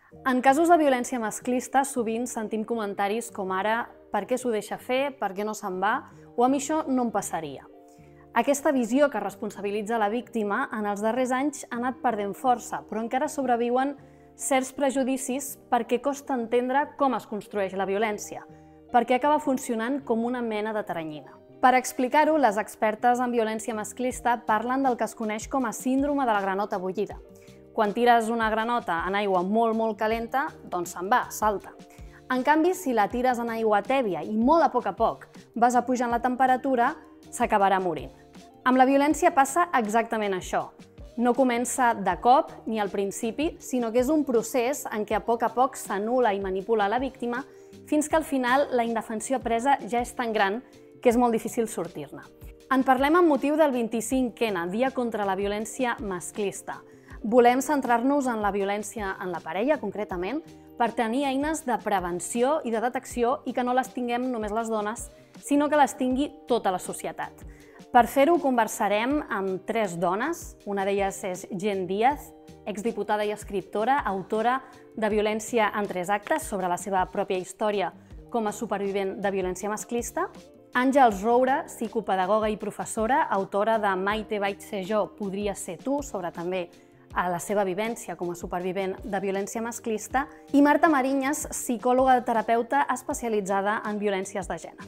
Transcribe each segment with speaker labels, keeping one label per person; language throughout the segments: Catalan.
Speaker 1: En casos de violència masclista, sovint sentim comentaris com ara «per què s'ho deixa fer?», «per què no se'n va?», o «a mi això no em passaria». Aquesta visió que responsabilitza la víctima en els darrers anys ha anat perdent força, però encara sobreviuen certs prejudicis perquè costa entendre com es construeix la violència, perquè acaba funcionant com una mena de teranyina. Per explicar-ho, les expertes en violència masclista parlen del que es coneix com a síndrome de la granota bullida. Quan tires una granota en aigua molt calenta, doncs se'n va, salta. En canvi, si la tires en aigua tèbia i molt a poc vas apujant la temperatura, s'acabarà morint. Amb la violència passa exactament això. No comença de cop ni al principi, sinó que és un procés en què a poc s'anul·la i manipula la víctima fins que al final la indefensió presa ja és tan gran que és molt difícil sortir-ne. En parlem amb motiu del 25N, Dia contra la Violència Masclista. Volem centrar-nos en la violència en la parella, concretament, per tenir eines de prevenció i de detecció i que no les tinguem només les dones, sinó que les tingui tota la societat. Per fer-ho conversarem amb 3 dones, una d'elles és Jen Díaz, exdiputada i escriptora, autora de Violència en 3 actes sobre la seva pròpia història com a supervivent de violència masclista, Àngels Roura, psicopedagoga i professora, autora de Maite vaig ser jo, podria ser tu, sobre també la seva vivència com a supervivent de violència masclista, i Marta Mariñas, psicòloga terapeuta especialitzada en violències de gènere.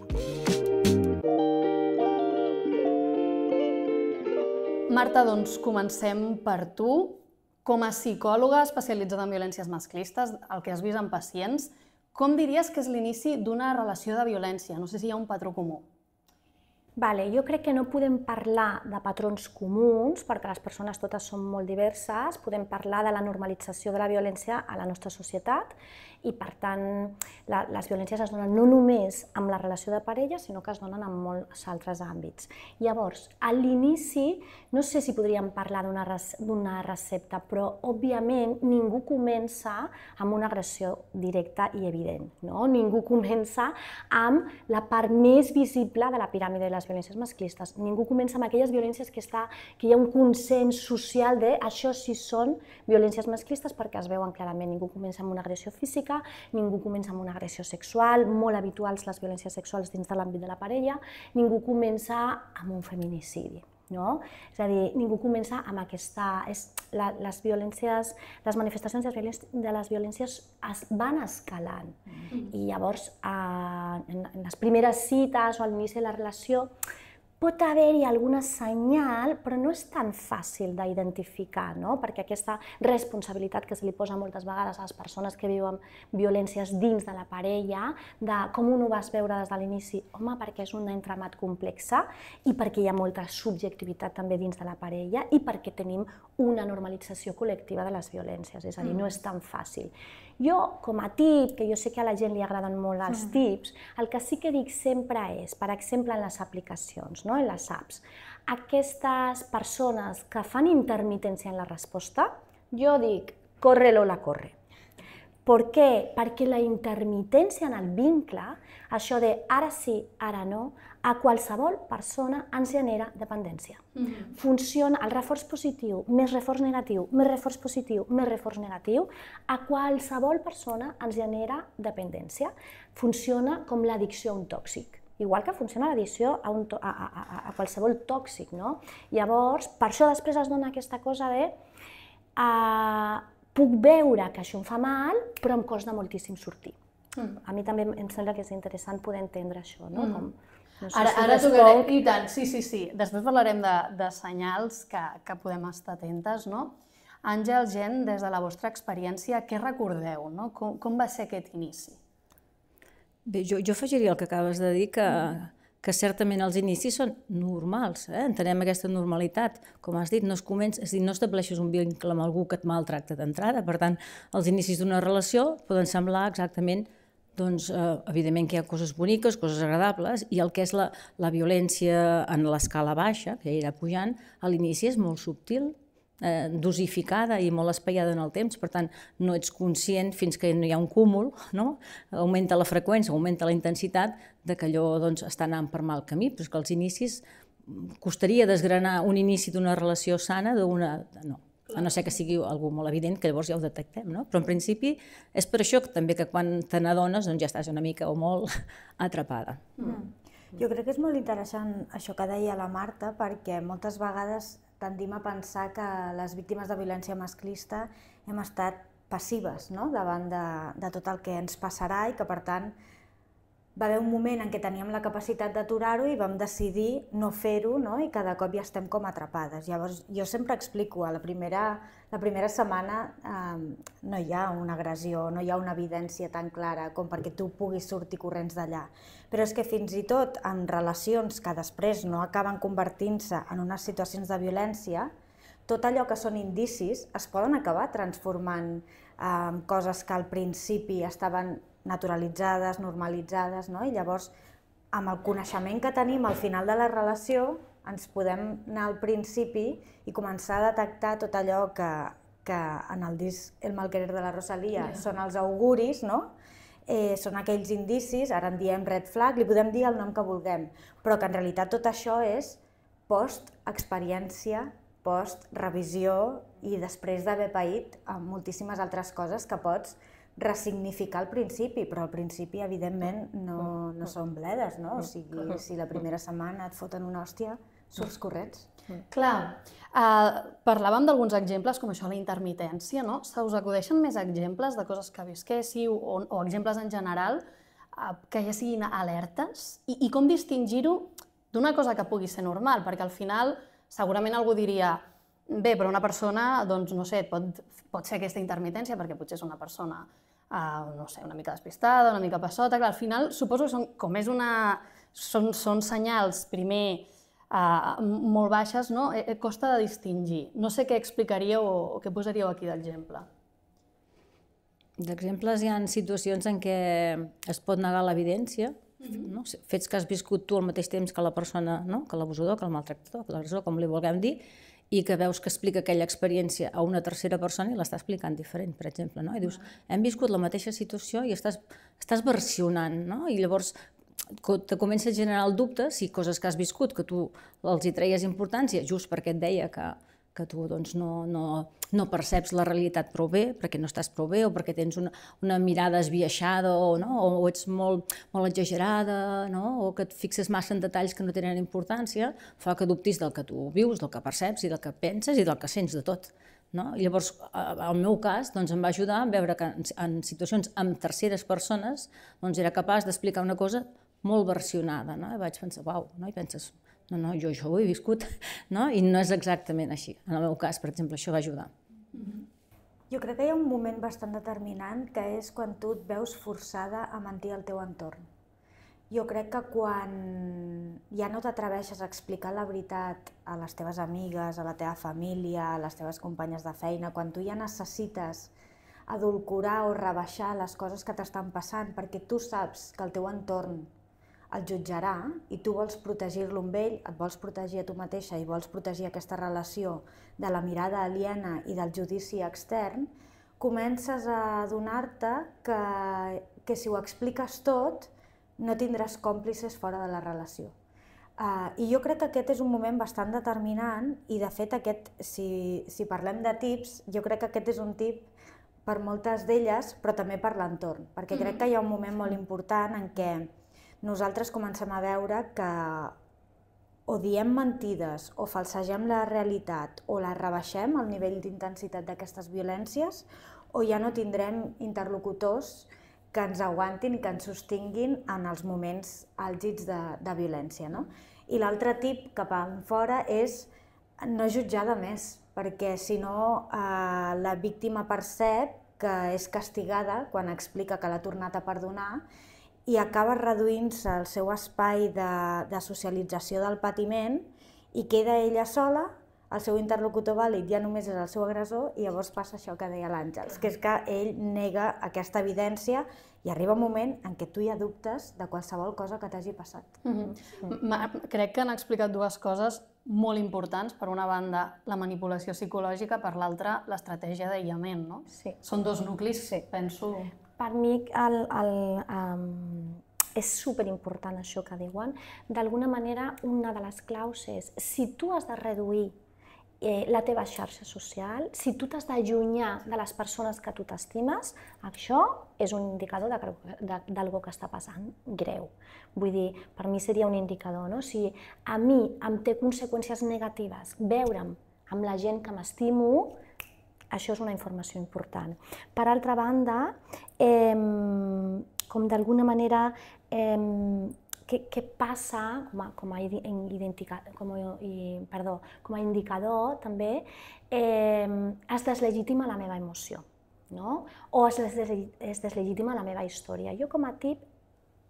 Speaker 1: Marta, doncs comencem per tu. Com a psicòloga especialitzada en violències masclistes, el que has vist en pacients, com diries que és l'inici d'una relació de violència? No sé si hi ha un patró comú.
Speaker 2: Jo crec que no podem parlar de patrons comuns, perquè les persones totes són molt diverses, podem parlar de la normalització de la violència a la nostra societat i, per tant, les violències es donen no només amb la relació de parella, sinó que es donen en molts altres àmbits. Llavors, a l'inici, no sé si podríem parlar d'una recepta, però, òbviament, ningú comença amb una agressió directa i evident. Ningú comença amb la part més visible de la piràmide de les violències masclistes. Ningú comença amb aquelles violències que hi ha un consens social de això sí són violències masclistes perquè es veuen clarament. Ningú comença amb una agressió física, ningú comença amb una agressió sexual, molt habituals les violències sexuals dins de l'àmbit de la parella, ningú comença amb un feminicidi. És a dir, ningú comença amb aquesta... Les manifestacions de les violències es van escalant. I llavors, en les primeres cites o a l'inici de la relació, pot haver-hi alguna senyal, però no és tan fàcil d'identificar, perquè aquesta responsabilitat que se li posa moltes vegades a les persones que viuen violències dins de la parella, de com ho vas veure des de l'inici, home, perquè és un entramat complex i perquè hi ha molta subjectivitat també dins de la parella i perquè tenim una normalització col·lectiva de les violències, és a dir, no és tan fàcil. Jo, com a tip, que jo sé que a la gent li agraden molt els tips, el que sí que dic sempre és, per exemple, en les aplicacions, en les apps, aquestes persones que fan intermitència en la resposta, jo dic, corre Lola, corre. Per què? Perquè la intermitència en el vincle, això de ara sí, ara no, a qualsevol persona ens genera dependència. Funciona el reforç positiu, més reforç negatiu, més reforç positiu, més reforç negatiu, a qualsevol persona ens genera dependència. Funciona com l'addicció a un tòxic. Igual que funciona l'addicció a qualsevol tòxic. Llavors, per això després es dona aquesta cosa de puc veure que això em fa mal, però em costa moltíssim sortir. A mi també em sembla que és interessant poder entendre això.
Speaker 1: Ara tocarem, i tant, sí. Després parlarem de senyals que podem estar atentes. Àngel, Jen, des de la vostra experiència, què recordeu? Com va ser aquest inici?
Speaker 3: Bé, jo afegiria el que acabes de dir, que certament els inicis són normals, entenem aquesta normalitat. Com has dit, no estableixes un vincle amb algú que et maltracta d'entrada, per tant, els inicis d'una relació poden semblar exactament, evidentment que hi ha coses boniques, coses agradables, i el que és la violència en l'escala baixa, que ja irà pujant, a l'inici és molt subtil, dosificada i molt espaiada en el temps, per tant, no ets conscient fins que no hi ha un cúmul, augmenta la freqüència, augmenta la intensitat de que allò està anant per mal camí, però és que als inicis costaria desgranar un inici d'una relació sana d'una... No. a no ser que sigui algú molt evident, que llavors ja ho detectem, no? Però en principi és per això que també que quan te n'adones ja estàs una mica o molt atrapada.
Speaker 4: Jo crec que és molt interessant això que deia la Marta, perquè moltes vegades tendim a pensar que les víctimes de violència masclista hem estat passives, no?, davant de tot el que ens passarà i que, per tant, va haver un moment en què teníem la capacitat d'aturar-ho i vam decidir no fer-ho, no?, i cada cop ja estem com atrapades. Llavors, jo sempre explico, la primera setmana no hi ha una agressió, no hi ha una evidència tan clara com perquè tu puguis sortir corrents d'allà. Però és que fins i tot en relacions que després no acaben convertint-se en unes situacions de violència, tot allò que són indicis es poden acabar transformant en coses que al principi estaven naturalitzades, normalitzades, no? I llavors, amb el coneixement que tenim al final de la relació, ens podem anar al principi i començar a detectar tot allò que en el disc El mal querer de la Rosalía són els auguris, no? Són aquells indicis, ara en diem red flag, li podem dir el nom que vulguem, però que en realitat tot això és post-experiència, post-revisió i després d'haver paït moltíssimes altres coses que pots ressignificar al principi, però al principi, evidentment, no són bledes, no? O sigui, si la primera setmana et foten una hòstia, surts corrents.
Speaker 1: Clar, parlàvem d'alguns exemples, com això, la intermitència, no? Se us acudeixen més exemples de coses que visquéssiu o exemples en general que ja siguin alertes? I com distingir-ho d'una cosa que pugui ser normal? Perquè al final segurament algú diria bé, però una persona, doncs, no sé, pot ser aquesta intermitència perquè potser és una persona, no sé, una mica despistada, una mica passota. Clar, al final suposo que són senyals, primer, molt baixes, no? Costa de distingir. No sé què explicaríeu o què posaríeu aquí d'exemple.
Speaker 3: D'exemples hi ha situacions en què es pot negar l'evidència, fets que has viscut tu al mateix temps que la persona, que l'abusador, que el maltractador, que l'agressor, com li vulguem dir, i que veus que explica aquella experiència a una tercera persona i l'està explicant diferent, per exemple. I dius, hem viscut la mateixa situació i estàs versionant, i llavors te comença a generar el dubte si coses que has viscut, que tu els hi treies importància, just perquè et deia que tu no perceps la realitat prou bé, perquè no estàs prou bé, o perquè tens una mirada esbiaixada, o ets molt exagerada, o que et fixes massa en detalls que no tenen importància, fa que dubtis del que tu vius, del que perceps, i del que penses, i del que sents de tot. Llavors, el meu cas em va ajudar a veure que en situacions amb terceres persones era capaç d'explicar una cosa molt versionada. I vaig pensar, uau, i penses, no, jo això ho he viscut, i no és exactament així. En el meu cas, per exemple, això va ajudar.
Speaker 4: Jo crec que hi ha un moment bastant determinant que és quan tu et veus forçada a mentir al teu entorn. Jo crec que quan ja no t'atreveixes a explicar la veritat a les teves amigues, a la teva família, a les teves companyes de feina, quan tu ja necessites edulcorar o rebaixar les coses que t'estan passant perquè tu saps que el teu entorn el jutjarà i tu vols protegir-lo amb ell, et vols protegir a tu mateixa i vols protegir aquesta relació de la mirada aliena i del judici extern, comences a adonar-te que si ho expliques tot no tindràs còmplices fora de la relació. I jo crec que aquest és un moment bastant determinant i, de fet, si parlem de tips, jo crec que aquest és un tip per moltes d'elles, però també per l'entorn, perquè crec que hi ha un moment molt important en què nosaltres comencem a veure que o diem mentides o falsegem la realitat o la rebaixem al nivell d'intensitat d'aquestes violències o ja no tindrem interlocutors que ens aguantin i que ens sostinguin en els moments àlgids de violència. I l'altre tip cap enfora és no jutjar de més, perquè si no la víctima percep que és castigada quan explica que l'ha tornat a perdonar i acaba reduint-se el seu espai de socialització del patiment i queda ella sola, el seu interlocutor vàlid ja només és el seu agressor i llavors passa això que deia l'Àngels, que és que ell nega aquesta evidència i arriba un moment en què tu ja dubtes de qualsevol cosa que t'hagi passat.
Speaker 1: Crec que han explicat dues coses molt importants. Per una banda, la manipulació psicològica, per l'altra, l'estratègia d'aïllament, no?
Speaker 2: Sí.
Speaker 1: Són dos nuclis, penso...
Speaker 2: Per mi és superimportant això que diuen. D'alguna manera, una de les claus és, si tu has de reduir la teva xarxa social, si tu t'has d'allunyar de les persones que tu t'estimes, això és un indicador d'algo que està passant greu. Vull dir, per mi seria un indicador, no? Si a mi em té conseqüències negatives veure'm amb la gent que m'estimo, això és una informació important. Per altra banda, com d'alguna manera, què passa com a indicador també, es deslegitima la meva emoció, no? O es deslegitima la meva història. Jo com a tip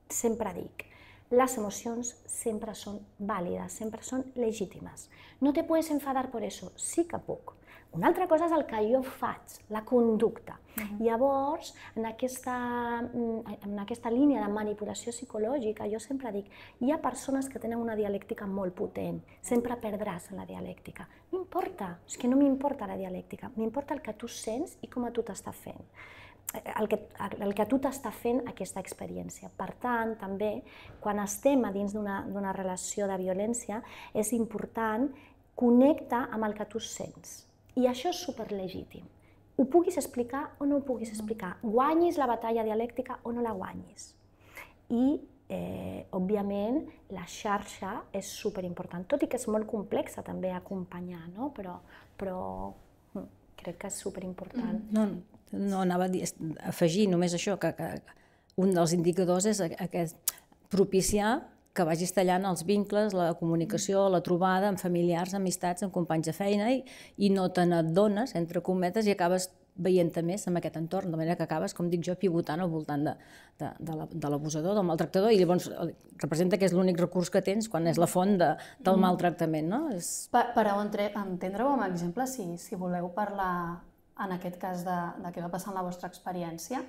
Speaker 2: sempre dic, les emocions sempre són vàlides, sempre són legítimes. No te puedes enfadar por eso, sí que puc. Una altra cosa és el que jo faig, la conducta. Llavors, en aquesta línia de manipulació psicològica, jo sempre dic, hi ha persones que tenen una dialèctica molt potent, sempre perdràs en la dialèctica. No importa, és que no m'importa la dialèctica, m'importa el que tu sents i com a tu t'està fent. El que tu t'està fent aquesta experiència. Per tant, també, quan estem a dins d'una relació de violència, és important connectar amb el que tu sents. I això és superlegítim. Ho puguis explicar o no ho puguis explicar, guanyis la batalla dialèctica o no la guanyis. I, òbviament, la xarxa és superimportant, tot i que és molt complexa també acompanyar, no? Però crec que és superimportant.
Speaker 3: No, anava a afegir només això, que un dels indicadors és propiciar que vagis tallant els vincles, la comunicació, la trobada amb familiars, amistats, amb companys de feina i no te n'adones, entre cometes, i acabes veient-te més en aquest entorn, de manera que acabes, com dic jo, pivotant al voltant de l'abusador, del maltractador, i llavors representa que és l'únic recurs que tens quan és la font del maltractament.
Speaker 1: Per entendre-ho amb exemple, si voleu parlar en aquest cas de què va passar en la vostra experiència,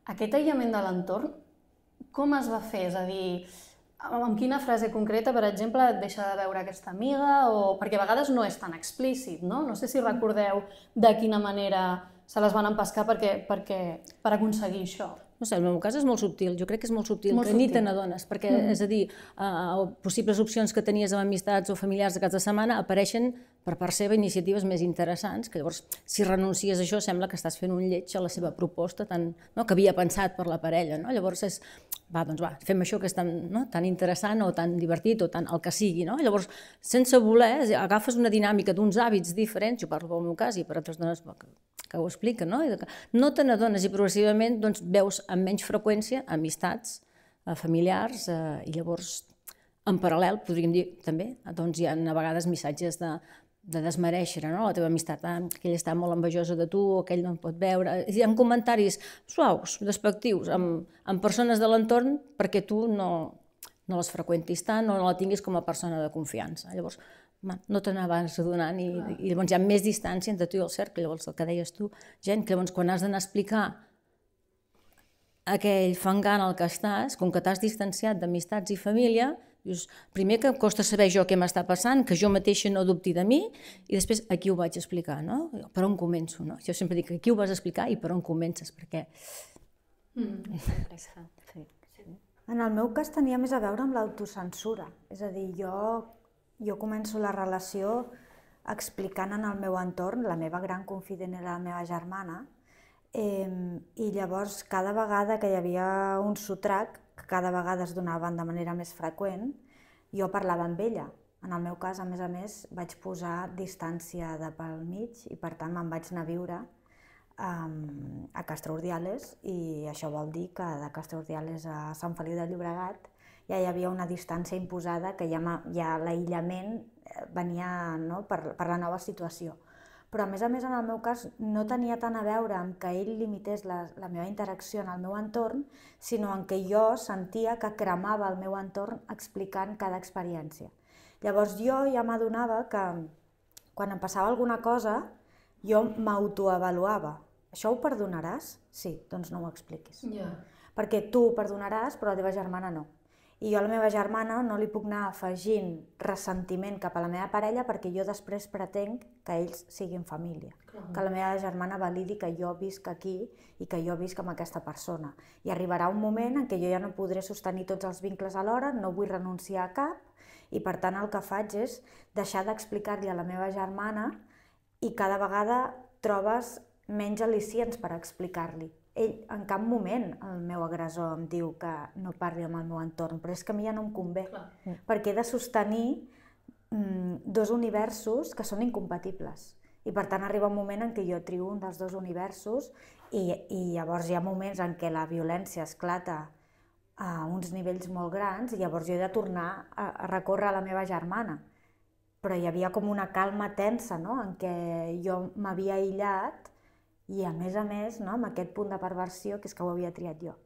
Speaker 1: aquest aïllament de l'entorn, com es va fer? És a dir, amb quina frase concreta, per exemple, et deixa de veure aquesta amiga? Perquè a vegades no és tan explícit, no? No sé si recordeu de quina manera se les van empescar per aconseguir això.
Speaker 3: No sé, el meu cas és molt subtil, jo crec que és molt subtil, que ni te n'adones, perquè, és a dir, possibles opcions que tenies amb amistats o familiars de cap de setmana apareixen per part seva iniciatives més interessants, que llavors, si renuncies a això, sembla que estàs fent un lleig a la seva proposta que havia pensat per la parella. Llavors és, fem això que és tan interessant o tan divertit o tan el que sigui. Llavors, sense voler, agafes una dinàmica d'uns hàbits diferents, jo parlo pel meu cas i per altres dones que ho expliquen, no te n'adones i progressivament veus amb menys freqüència amistats, familiars, i llavors, en paral·lel, podríem dir també, hi ha a vegades missatges de desmereixer la teva amistat, que ella està molt envejosa de tu, o que ell no em pot veure. Hi ha comentaris suaus, despectius, amb persones de l'entorn perquè tu no les freqüentis tant o no la tinguis com a persona de confiança. Llavors, no te n'anes adonant i llavors hi ha més distància entre tu i el cercle. Llavors, el que deies tu, gent, que llavors quan has d'anar a explicar aquell fangant al que estàs, com que t'has distanciat d'amistats i família, dius, primer que em costa saber jo què m'està passant, que jo mateixa no dubti de mi, i després a qui ho vaig explicar, no? Per on començo, no? Jo sempre dic a qui ho vas explicar i per on comences, perquè...
Speaker 4: En el meu cas tenia més a veure amb l'autocensura, és a dir, jo començo la relació explicant en el meu entorn, la meva gran confident era la meva germana, i llavors cada vegada que hi havia un sotrac, que cada vegada es donaven de manera més freqüent, jo parlava amb ella. En el meu cas, a més, vaig posar distància de pel mig i per tant me'n vaig anar a viure a Castro Urdiales, i això vol dir que de Castro Urdiales a Sant Feliu de Llobregat ja hi havia una distància imposada, que ja l'aïllament venia per la nova situació. Però a més, en el meu cas, no tenia tant a veure amb que ell limités la meva interacció en el meu entorn, sinó en què jo sentia que cremava el meu entorn explicant cada experiència. Llavors jo ja m'adonava que quan em passava alguna cosa, jo m'autoavaluava. Això ho perdonaràs? Sí, doncs no ho expliquis. Perquè tu ho perdonaràs, però la teva germana no. I jo a la meva germana no li puc anar afegint ressentiment cap a la meva parella perquè jo després pretenc que ells siguin família. Que la meva germana validi que jo visc aquí i que jo visc amb aquesta persona. I arribarà un moment en què jo ja no podré sostenir tots els vincles alhora, no vull renunciar a cap, i per tant el que faig és deixar d'explicar-li a la meva germana i cada vegada trobes menys al·licients per explicar-li. Ell en cap moment, el meu agressor, em diu que no parli amb el meu entorn, però és que a mi ja no em convé, perquè he de sostenir dos universos que són incompatibles. I per tant arriba un moment en què jo trio un dels dos universos i llavors hi ha moments en què la violència esclata a uns nivells molt grans i llavors jo he de tornar a recórrer a la meva germana. Però hi havia com una calma tensa, no?, en què jo m'havia aïllat i a més, amb aquest punt de perversió que és que ho havia triat jo.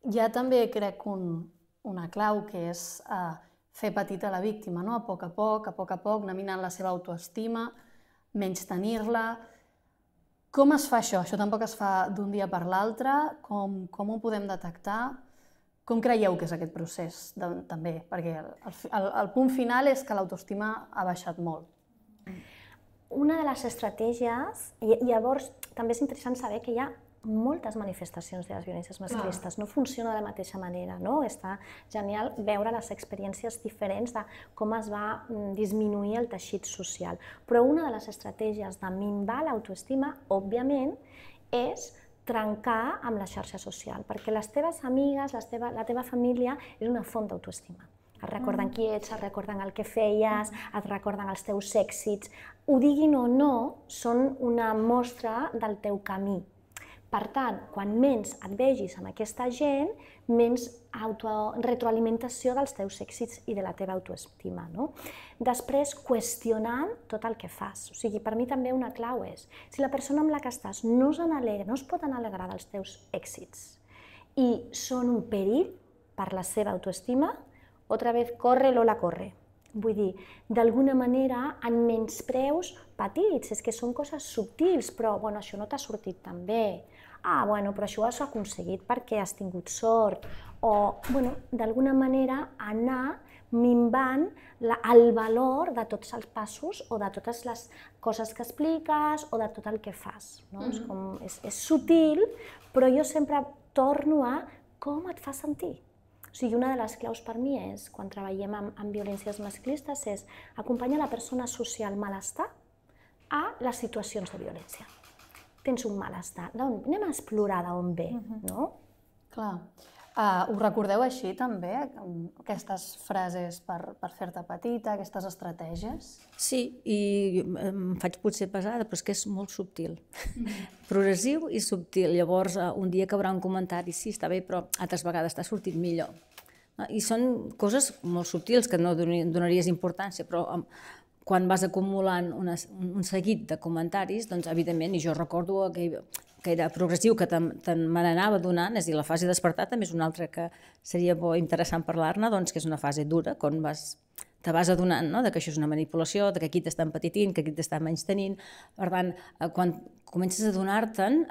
Speaker 1: Hi ha també, crec, una clau que és fer petita la víctima, no? A poc a poc, anar minant la seva autoestima, menystenir-la. Com es fa això? Això tampoc es fa d'un dia per l'altre. Com ho podem detectar? Com creieu que és aquest procés, també? Perquè el punt final és que l'autoestima ha baixat molt.
Speaker 2: Una de les estratègies, i llavors també és interessant saber que hi ha moltes manifestacions de les violències masclistes, no funciona de la mateixa manera, no? Està genial veure les experiències diferents de com es va disminuir el teixit social. Però una de les estratègies de minvar l'autoestima, òbviament, és trencar amb la xarxa social, perquè les teves amigues, la teva família és una font d'autoestima. Et recorden qui ets, et recorden el que feies, et recorden els teus èxits. Ho diguin o no, són una mostra del teu camí. Per tant, quan menys et vegis amb aquesta gent, menys retroalimentació dels teus èxits i de la teva autoestima. Després, qüestionant tot el que fas. O sigui, per mi també una clau és, si la persona amb la que estàs no es pot alegrar dels teus èxits i són un perill per la seva autoestima, otra vez, corre Lola, corre. Vull dir, d'alguna manera, en menyspreus petits, és que són coses subtils, però això no t'ha sortit tan bé. Però això ho has aconseguit perquè has tingut sort. O, d'alguna manera, anar minvant el valor de tots els passos o de totes les coses que expliques o de tot el que fas. És sutil, però jo sempre torno a com et fa sentir. O sigui, una de les claus per mi és, quan treballem amb violències masclistes, és acompanyar la persona a associar el malestar a les situacions de violència. Tens un malestar, anem a explorar d'on ve, no?
Speaker 1: Clar. Ho recordeu així, també, aquestes frases per fer-te petita, aquestes estratègies?
Speaker 3: Sí, i em faig potser pesada, però és que és molt subtil. Progressiu i subtil. Llavors, un dia caurà un comentari, sí, està bé, però altres vegades t'ha sortit millor. I són coses molt subtils que no donaries importància, però quan vas acumulant un seguit de comentaris, doncs, evidentment, i jo recordo que era progressiu, que me n'anava donant, és a dir, la fase de despertar també és una altra que seria interessant parlar-ne, que és una fase dura, quan te vas adonant que això és una manipulació, que aquí t'estan petitint, que aquí t'estan menystenint. Per tant, quan comences a adonar-te'n,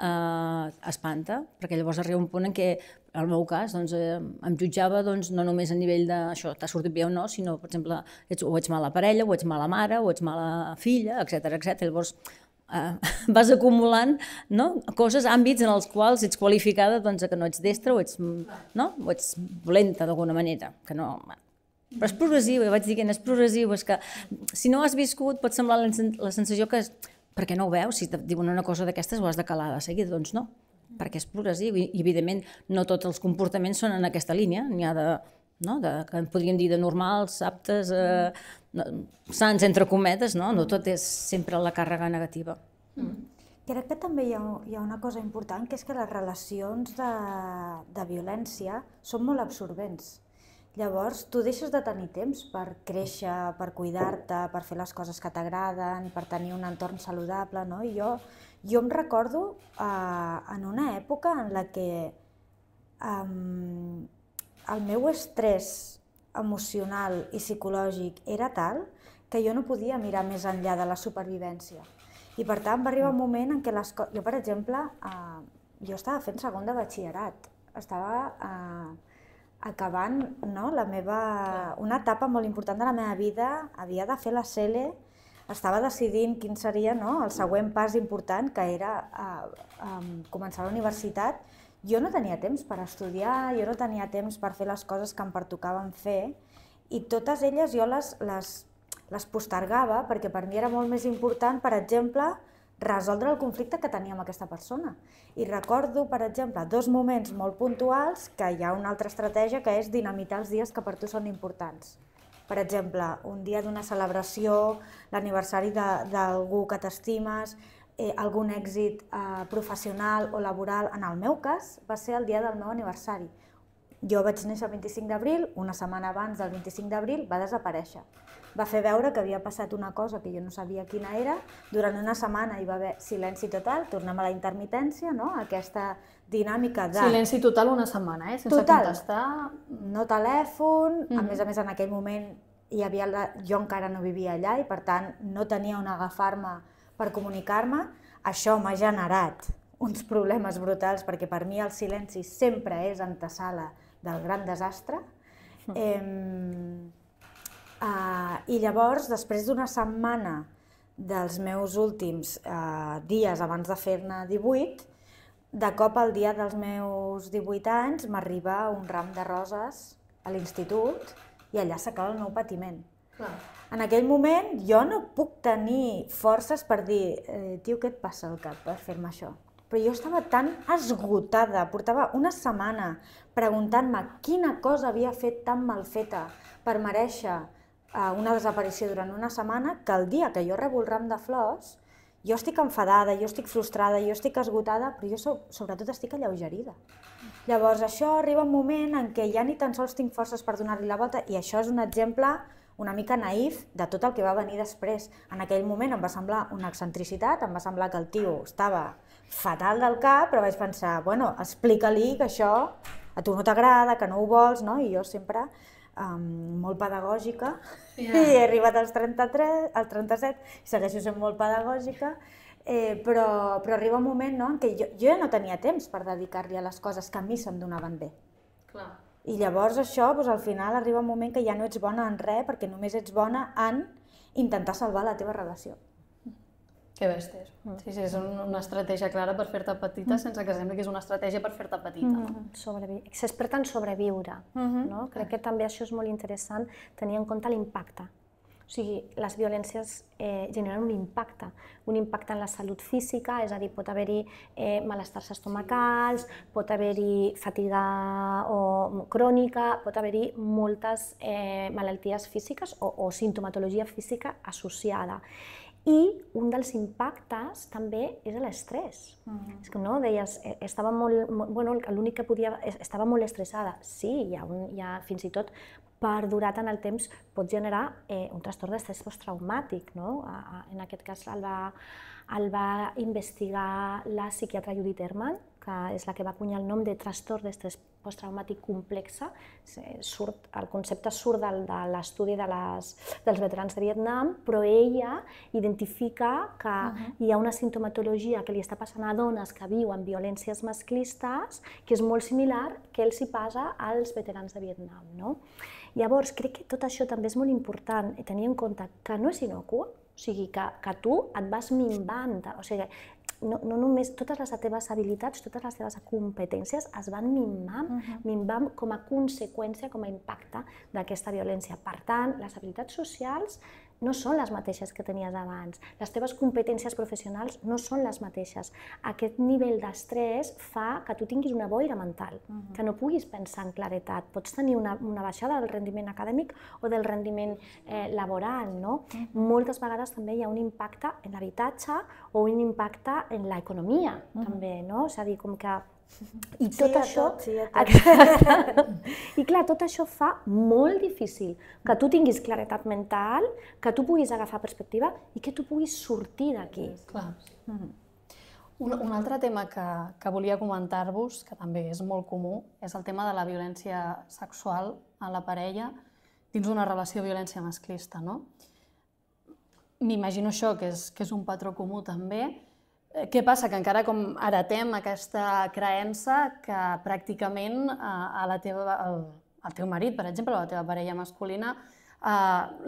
Speaker 3: espanta, perquè llavors arriba un punt en què, en el meu cas, em jutjava no només a nivell de això, t'ha sortit bé o no, sinó, per exemple, o ets mala parella, o ets mala mare, o ets mala filla, etc. Llavors, vas acumulant coses, àmbits en els quals ets qualificada que no ets destra o ets dolenta d'alguna manera. Però és progressiu, ja vaig dir que és progressiu, és que si no ho has viscut pot semblar la sensació que per què no ho veus? Si et diuen una cosa d'aquestes ho has de calar de seguida, doncs no, perquè és progressiu i evidentment no tots els comportaments són en aquesta línia, n'hi ha que en podríem dir de normals, aptes, sants entre cometes, no tot és sempre la càrrega negativa.
Speaker 4: Crec que també hi ha una cosa important, que és que les relacions de violència són molt absorbents. Llavors, tu deixes de tenir temps per créixer, per cuidar-te, per fer les coses que t'agraden, per tenir un entorn saludable, no? I jo em recordo en una època en la que el meu estrès emocional i psicològic era tal que jo no podia mirar més enllà de la supervivència. I per tant va arribar un moment en què jo, per exemple, jo estava fent segon de batxillerat, estava acabant una etapa molt important de la meva vida, havia de fer la CELE, estava decidint quin seria el següent pas important, que era començar la universitat. Jo no tenia temps per estudiar, jo no tenia temps per fer les coses que em pertocaven fer, i totes elles jo les les postergava perquè per mi era molt més important, per exemple, resoldre el conflicte que tenia amb aquesta persona. I recordo, per exemple, 2 moments molt puntuals que hi ha una altra estratègia que és dinamitar els dies que per tu són importants. Per exemple, un dia d'una celebració, l'aniversari d'algú que t'estimes, algun èxit professional o laboral. En el meu cas, va ser el dia del meu aniversari. Jo vaig néixer el 25 d'abril, una setmana abans del 25 d'abril va desaparèixer. Va fer veure que havia passat una cosa que jo no sabia quina era, durant una setmana hi va haver silenci total, tornem a la intermitència, no? Aquesta dinàmica de...
Speaker 1: Silenci total una setmana, sense contestar...
Speaker 4: No telèfon, a més en aquell moment jo encara no vivia allà i per tant no tenia on agafar-me per comunicar-me. Això m'ha generat uns problemes brutals perquè per mi el silenci sempre és antesala del gran desastre. I llavors, després d'una setmana dels meus últims dies abans de fer-ne 18, de cop el dia dels meus 18 anys m'arriba un ram de roses a l'institut i allà s'acaba el meu patiment. En aquell moment jo no puc tenir forces per dir tio, què et passa al cap per fer-me això? Però jo estava tan esgotada, portava una setmana preguntant-me quina cosa havia fet tan mal feta per merèixer una desaparició durant una setmana, que el dia que jo rebo el ram de flors, jo estic enfadada, jo estic frustrada, jo estic esgotada, però jo sobretot estic alleugerida. Llavors això arriba un moment en què ja ni tan sols tinc forces per donar-li la volta, i això és un exemple una mica naïf de tot el que va venir després. En aquell moment em va semblar una excentricitat, em va semblar que el tio estava fatal del cap, però vaig pensar, bueno, explica-li que això a tu no t'agrada, que no ho vols, no? I jo sempre molt pedagògica, i he arribat als 33, als 37, i segueixo sent molt pedagògica, però arriba un moment en què jo ja no tenia temps per dedicar-li a les coses que a mi se'm donaven bé. I llavors això, al final, arriba un moment que ja no ets bona en res, perquè només ets bona en intentar salvar la teva relació.
Speaker 1: Que bèsties. Sí, és una estratègia clara per fer-te petita, sense que sembli que és una estratègia per fer-te petita.
Speaker 2: És per tant sobreviure. Crec que també això és molt interessant, tenir en compte l'impacte. O sigui, les violències generen un impacte en la salut física, és a dir, pot haver-hi malestars estomacals, pot haver-hi fatiga crònica, pot haver-hi moltes malalties físiques o simptomatologia física associada. I un dels impactes també és l'estrès. És que no, deies, l'únic que podia... Estava molt estressada. Sí, fins i tot perdurat en el temps pot generar un trastorn d'estrès posttraumàtic. En aquest cas el va investigar la psiquiatra Judith Herman, que és la que va acunyar el nom de trastorn d'estrès posttraumàtic complexa. El concepte surt de l'estudi dels veterans de Vietnam, però ella identifica que hi ha una simptomatologia que li està passant a dones que viuen violències masclistes que és molt similar que els hi passa als veterans de Vietnam. Llavors, crec que tot això també és molt important tenir en compte que no és innocua, o sigui, que tu et vas minvant, o sigui, no només totes les teves habilitats, totes les teves competències es van minvant com a conseqüència, com a impacte d'aquesta violència. Per tant, les habilitats socials no són les mateixes que tenies abans. Les teves competències professionals no són les mateixes. Aquest nivell d'estrès fa que tu tinguis una boira mental, que no puguis pensar en claretat. Pots tenir una baixada del rendiment acadèmic o del rendiment laboral. Moltes vegades també hi ha un impacte en l'habitatge o un impacte en l'economia, també. És a dir, com que... I tot això... I clar, tot això fa molt difícil que tu tinguis claretat mental, que tu puguis agafar perspectiva i que tu puguis sortir d'aquí.
Speaker 1: Un altre tema que volia comentar-vos, que també és molt comú, és el tema de la violència sexual en la parella dins d'una relació de violència masclista. M'imagino això, que és un patró comú també. Què passa? Que encara com heretem aquesta creença que pràcticament al teu marit, per exemple, o a la teva parella masculina,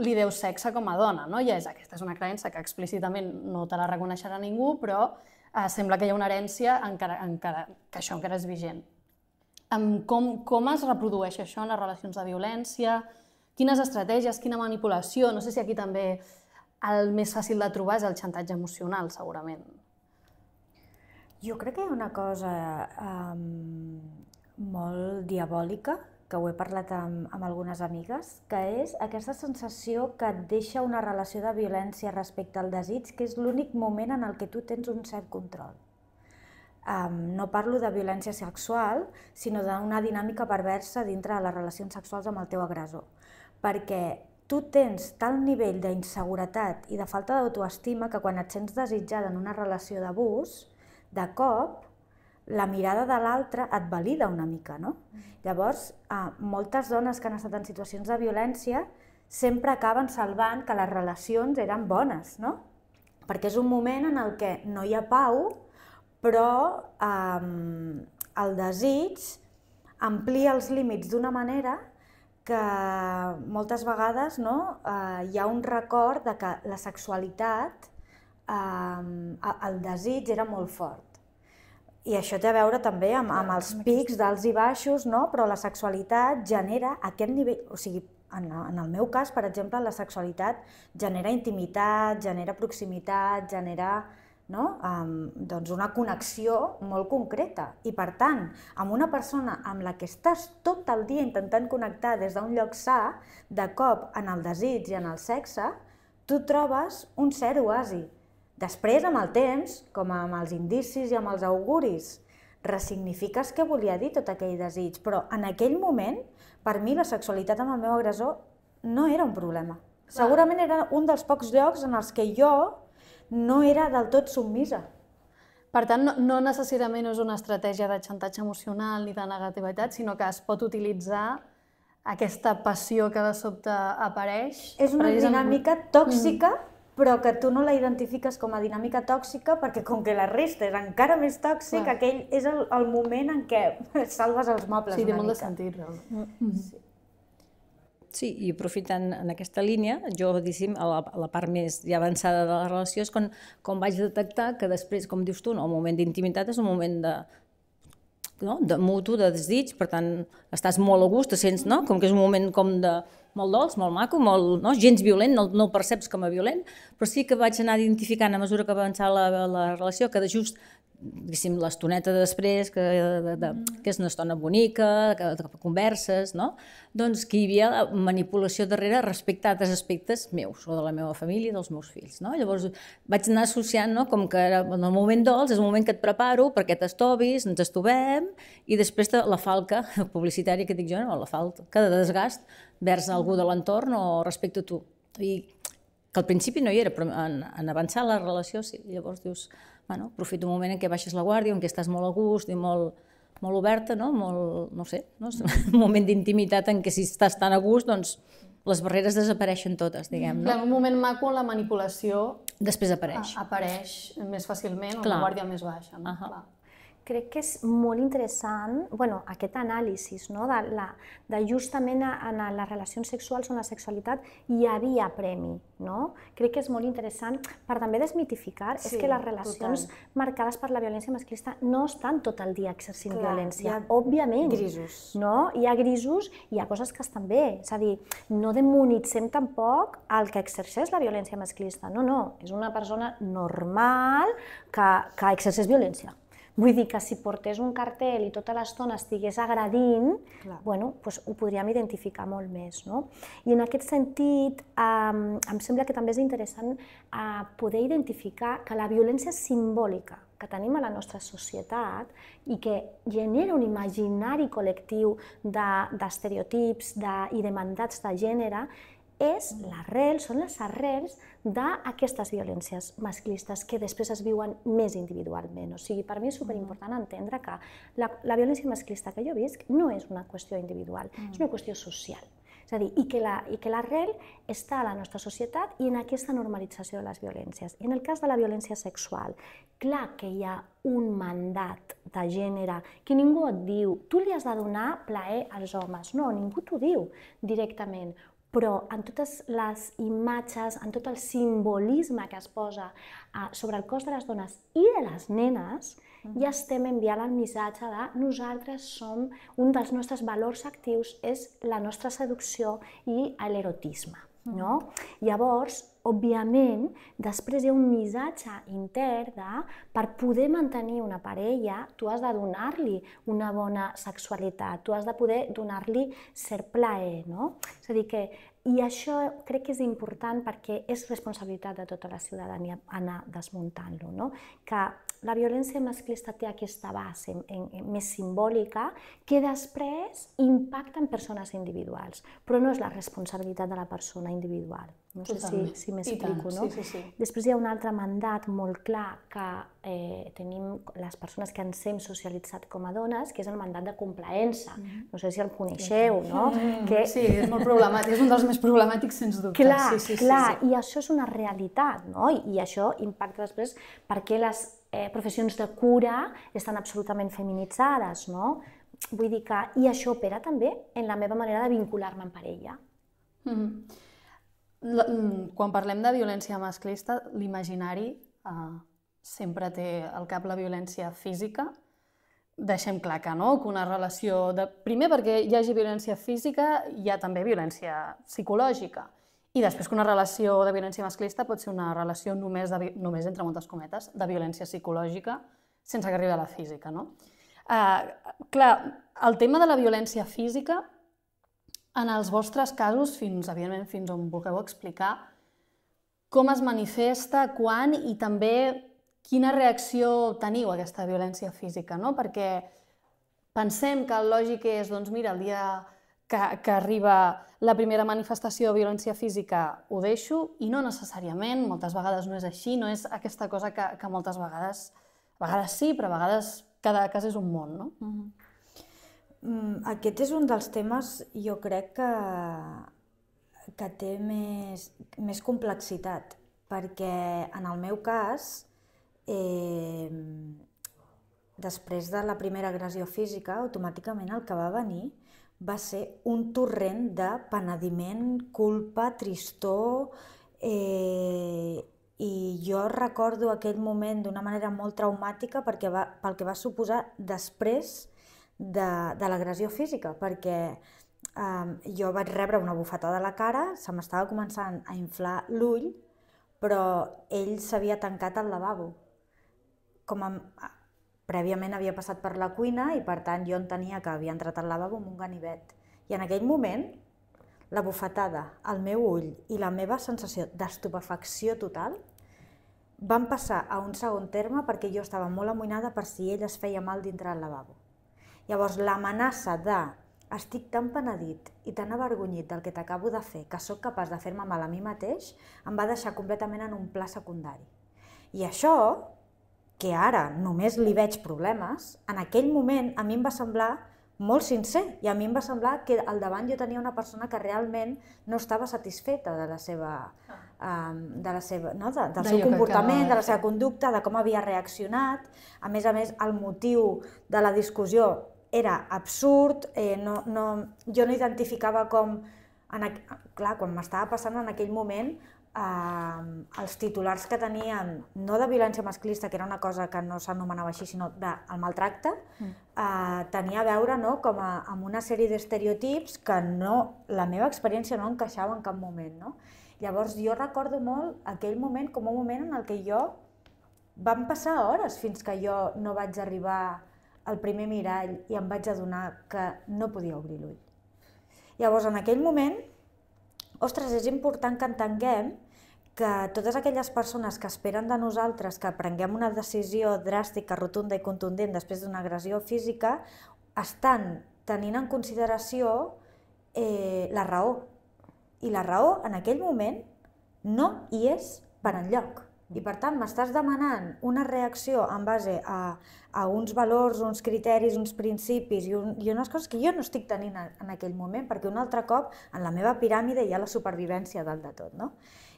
Speaker 1: li deus sexe com a dona. Aquesta és una creença que explícitament no te la reconeixerà ningú, però sembla que hi ha una herència que això encara és vigent. Com es reprodueix això en les relacions de violència? Quines estratègies, quina manipulació? No sé si aquí també el més fàcil de trobar és el xantatge emocional, segurament.
Speaker 4: Jo crec que hi ha una cosa molt diabòlica, que ho he parlat amb algunes amigues, que és aquesta sensació que et deixa una relació de violència respecte al desig, que és l'únic moment en el que tu tens un cert control. No parlo de violència sexual, sinó d'una dinàmica perversa dintre de les relacions sexuals amb el teu agressor. Perquè tu tens tal nivell d'inseguretat i de falta d'autoestima que quan et sents desitjada en una relació d'abús, de cop, la mirada de l'altre et valida una mica, no? Llavors, moltes dones que han estat en situacions de violència sempre acaben salvant que les relacions eren bones, no? Perquè és un moment en el que no hi ha pau, però el desig amplia els límits d'una manera que moltes vegades hi ha un record de que la sexualitat, el desig era molt fort. I això té a veure també amb els pics d'alts i baixos, però la sexualitat genera aquest nivell, o sigui, en el meu cas, per exemple, la sexualitat genera intimitat, genera proximitat, genera una connexió molt concreta. I per tant, amb una persona amb la que estàs tot el dia intentant connectar des d'un lloc sa, de cop en el desig i en el sexe, tu trobes un cert oasi. Després, amb el temps, com amb els indicis i amb els auguris, ressignifiques què volia dir tot aquell desig, però en aquell moment, per mi, la sexualitat amb el meu agressor no era un problema. Segurament era un dels pocs llocs en els que jo no era del tot submisa.
Speaker 1: Per tant, no necessàriament és una estratègia de xantatge emocional ni de negativitat, sinó que es pot utilitzar aquesta passió que de sobte apareix.
Speaker 4: És una dinàmica tòxica, però que tu no la identifiques com a dinàmica tòxica perquè com que la resta és encara més tòxic, aquell és el moment en què salves els mobles una mica.
Speaker 1: Sí, té molt de sentit, realment.
Speaker 3: Sí, i aprofitant en aquesta línia, jo, diguéssim, a la part més ja avançada de la relació és quan vaig detectar que després, com dius tu, el moment d'intimitat és un moment de mutu, de desig, per tant, estàs molt a gust, te sents, com que és un moment com de molt dolç, molt maco, gens violent, no el perceps com a violent, però sí que vaig anar identificant a mesura que avançava la relació que de just l'estoneta després, que és una estona bonica, que converses, doncs que hi havia manipulació darrere respecte a altres aspectes meus, o de la meva família i dels meus fills. Llavors vaig anar associant com que en el moment dolç és un moment que et preparo perquè t'estovis, ens estovem, i després la falca publicitària que dic jo, la falca de desgast vers algú de l'entorn o respecte a tu. I que al principi no hi era, però en avançar la relació sí. Llavors dius, aprofita un moment en què baixes la guàrdia, en què estàs molt a gust i molt oberta, no sé, un moment d'intimitat en què si estàs tan a gust, doncs les barreres desapareixen totes, diguem.
Speaker 1: En un moment maco la manipulació
Speaker 3: després apareix
Speaker 1: més fàcilment, amb la guàrdia més baixa.
Speaker 2: Crec que és molt interessant aquest anàlisi de justament en les relacions sexuals o en la sexualitat hi havia premi. Crec que és molt interessant per també desmitificar és que les relacions marcades per la violència masclista no estan tot el dia exercint violència. Òbviament.
Speaker 4: Grisos.
Speaker 2: Hi ha grisos i hi ha coses que estan bé. És a dir, no demonitzem tampoc el que exerceix la violència masclista. No, és una persona normal que exerceix violència. Vull dir que si portés un cartell i tota l'estona estigués agredint, ho podríem identificar molt més. I en aquest sentit, em sembla que també és interessant poder identificar que la violència simbòlica que tenim a la nostra societat i que genera un imaginari col·lectiu d'estereotips i de mandats de gènere són les arrels d'aquestes violències masclistes que després es viuen més individualment. O sigui, per mi és superimportant entendre que la violència masclista que jo visc no és una qüestió individual, és una qüestió social. És a dir, i que l'arrel està a la nostra societat i en aquesta normalització de les violències. I en el cas de la violència sexual, clar que hi ha un mandat de gènere que ningú et diu tu li has de donar plaer als homes. No, ningú t'ho diu directament. però en totes les imatges, en tot el simbolisme que es posa sobre el cos de les dones i de les nenes, ja estem enviant el missatge de nosaltres som, un dels nostres valors actius és la nostra seducció i l'erotisme. No? Llavors, òbviament, després hi ha un missatge intern de per poder mantenir una parella, tu has de donar-li una bona sexualitat, tu has de poder donar-li cert plaer, no? És a dir que, i això crec que és important perquè és responsabilitat de tota la ciutadania anar desmuntant-lo, no? Que la violència masclista té aquesta base més simbòlica que després impacta en persones individuals, però no és la responsabilitat de la persona individual. No sé si m'explico, no? Després hi ha un altre mandat molt clar que tenim les persones que ens hem socialitzat com a dones, que és el mandat de complaença. No sé si el coneixeu, no?
Speaker 1: Sí, és molt problemàtic, és un dels més problemàtics, sens dubte.
Speaker 2: Clar, i això és una realitat, no? I això impacta després perquè les professions de cura estan absolutament feminitzades, no? Vull dir que... I això opera també en la meva manera de vincular-me en parella.
Speaker 1: Quan parlem de violència masclista, l'imaginari sempre té al cap la violència física. Deixem clar que no, que una relació... Primer, perquè hi hagi violència física, hi ha també violència psicològica. I després que una relació de violència masclista pot ser una relació només entre moltes cometes, de violència psicològica, sense que arribi a la física, no? Clar, el tema de la violència física, en els vostres casos, evidentment fins on vulgueu explicar, com es manifesta, quan i també quina reacció teniu a aquesta violència física, no? Perquè pensem que el lògic és, doncs mira, el dia que arriba la primera manifestació de violència física ho deixo, i no necessàriament, moltes vegades no és així, no és aquesta cosa que moltes vegades sí, però a vegades cada cas és un món, no?
Speaker 4: Aquest és un dels temes, jo crec que té més complexitat, perquè en el meu cas, després de la primera agressió física, automàticament el que va venir va ser un torrent de penediment, culpa, tristor, i jo recordo aquell moment d'una manera molt traumàtica pel que va suposar després de l'agressió física, perquè jo vaig rebre una bufetada a la cara, se m'estava començant a inflar l'ull, però ell s'havia tancat al lavabo. Prèviament havia passat per la cuina i per tant jo entenia que havia entrat al lavabo amb un ganivet. I en aquell moment, la bufetada, el meu ull i la meva sensació d'estupefacció total van passar a un segon terme perquè jo estava molt amoïnada per si ell es feia mal dintre del lavabo. Llavors, l'amenaça de estic tan penedit i tan avergonyit del que t'acabo de fer que sóc capaç de fer-me mal a mi mateix, em va deixar completament en un pla secundari. I això, que ara només li veig problemes, en aquell moment a mi em va semblar molt sincer i a mi em va semblar que al davant jo tenia una persona que realment no estava satisfeta del seu comportament, de la seva conducta, de com havia reaccionat. A més, el motiu de la discussió era absurd, jo no identificava com... Clar, quan m'estava passant en aquell moment, els titulars que tenien, no de violència masclista, que era una cosa que no s'anomenava així, sinó del maltracte, tenia a veure amb una sèrie d'estereotips que la meva experiència no encaixava en cap moment. Llavors jo recordo molt aquell moment com un moment en el que van passar hores fins que jo no vaig arribar al primer mirall i em vaig adonar que no podia obrir l'ull. Llavors en aquell moment, ostres, és important que entenguem que totes aquelles persones que esperen de nosaltres que prenguem una decisió dràstica, rotunda i contundent després d'una agressió física, estan tenint en consideració la raó. I la raó, en aquell moment, no hi és per enlloc. I per tant, m'estàs demanant una reacció en base a uns valors, uns criteris, uns principis i unes coses que jo no estic tenint en aquell moment, perquè un altre cop en la meva piràmide hi ha la supervivència dalt de tot.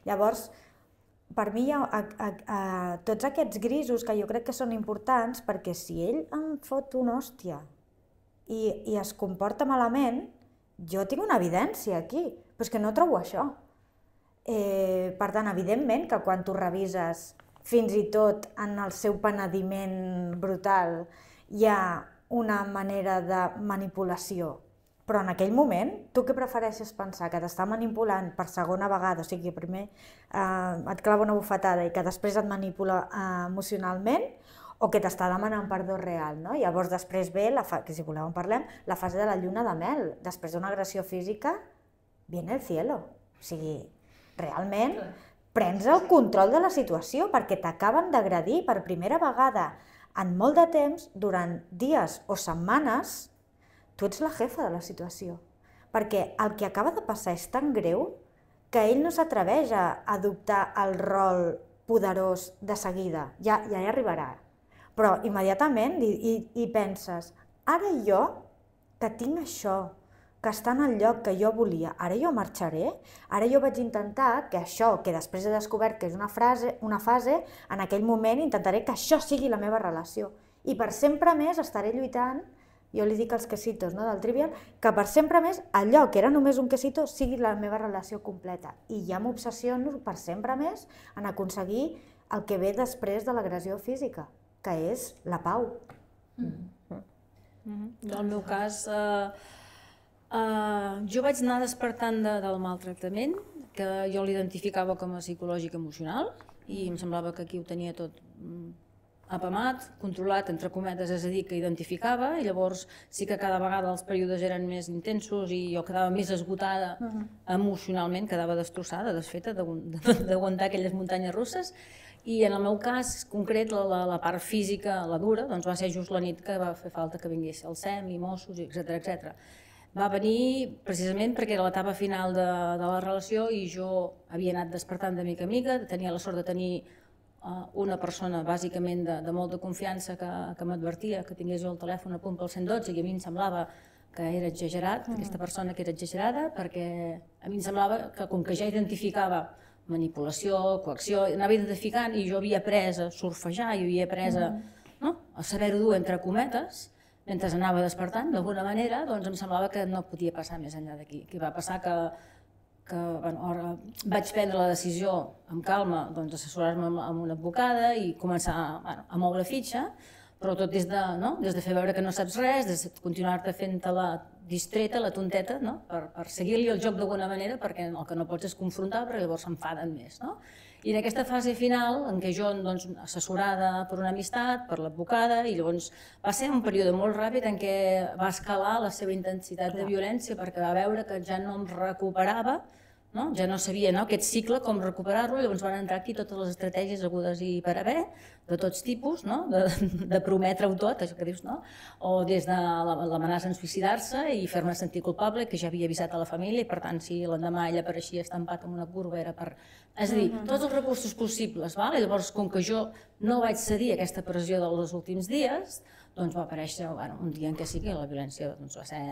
Speaker 4: Llavors, per mi hi ha tots aquests grisos que jo crec que són importants, perquè si ell em fot una hòstia i es comporta malament, jo tinc una evidència aquí, però és que no trobo això. Per tant, evidentment que quan tu revises, fins i tot en el seu penediment brutal, hi ha una manera de manipulació. Però en aquell moment, tu què prefereixes pensar? Que t'està manipulant per segona vegada, o sigui, primer et clava una bufetada i que després et manipula emocionalment, o que t'està demanant perdó real, no? Llavors després ve, que si voleu en parlem, la fase de la lluna de mel. Després d'una agressió física, viene el cielo. O sigui, realment prens el control de la situació perquè t'acaben d'agredir per primera vegada en molt de temps, durant dies o setmanes. Tu ets la jefa de la situació, perquè el que acaba de passar és tan greu que ell no s'atreveix a adoptar el rol poderós de seguida, ja hi arribarà. Però immediatament hi penses, ara jo, que tinc això, que està en el lloc que jo volia, ara jo marxaré, ara jo vaig intentar que això, que després he descobert que és una fase, en aquell moment intentaré que això sigui la meva relació. I per sempre més estaré lluitant, jo li dic als quesitos del Trivial, que per sempre més allò que era només un quesito sigui la meva relació completa. I ja m'obsessiono per sempre més en aconseguir el que ve després de l'agressió física, que és la pau.
Speaker 3: En el meu cas, jo vaig anar despertant del maltractament, que jo l'identificava com a psicològic emocional, i em semblava que aquí ho tenia tot apamat, controlat, entre cometes, és a dir, que identificava, i llavors sí que cada vegada els períodes eren més intensos i jo quedava més esgotada emocionalment, quedava destrossada, desfeta d'aguantar aquelles muntanyes russes, i en el meu cas concret la part física, la dura, doncs va ser just la nit que va fer falta que vingués el SEM i Mossos, etc. Va venir precisament perquè era l'etapa final de la relació i jo havia anat despertant de mica en mica, tenia la sort de tenir una persona bàsicament de molta confiança que m'advertia que tingués jo el telèfon a punt pel 112 i a mi em semblava que era exagerat, aquesta persona que era exagerada, perquè a mi em semblava que com que ja identificava manipulació, coacció, anava identificant i jo havia après a surfejar, i havia après a saber-ho dur entre cometes, mentre anava despertant d'alguna manera, doncs em semblava que no podia passar més enllà d'aquí. Què va passar? Que vaig prendre la decisió amb calma d'assessorar-me amb una advocada i començar a moure fitxa, però tot des de fer veure que no saps res, des de continuar-te fent-te la distreta, la tonteta, per seguir-li el joc d'alguna manera, perquè el que no pots és confrontar, perquè llavors s'enfaden més. I en aquesta fase final, en què jo, assessorada per una amistat, per l'advocada, i llavors va ser un període molt ràpid en què va escalar la seva intensitat de violència perquè va veure que ja no em recuperava, ja no sabia aquest cicle com recuperar-lo, llavors van entrar aquí totes les estratègies hagudes i per haver, de tots tipus, de prometre-ho tot, això que dius, o des de l'amenaça en suïcidar-se i fer-me sentir culpable, que ja havia avisat a la família, i per tant, si l'endemà ella apareixia estampat en una curva era per... És a dir, tots els recursos possibles, i llavors, com que jo no vaig cedir a aquesta pressió dels últims dies, doncs va aparèixer un dia en què sí que la violència va ser...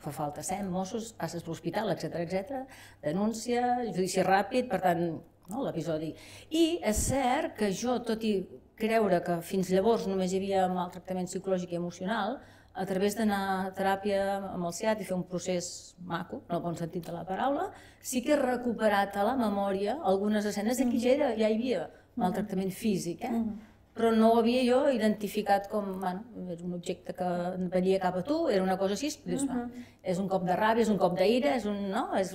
Speaker 3: Fa falta SEM, Mossos, passes per l'hospital, etc. Denúncia, judici ràpid, per tant, l'episodi. I és cert que jo, tot i creure que fins llavors només hi havia maltractament psicològic i emocional, a través d'anar a teràpia amb el CIAT i fer un procés maco, en el bon sentit de la paraula, sí que he recuperat a la memòria algunes escenes de que ja hi havia maltractament físic, però no ho havia jo identificat com és un objecte que venia cap a tu, era una cosa així, és un cop de ràbia, és un cop d'ira, és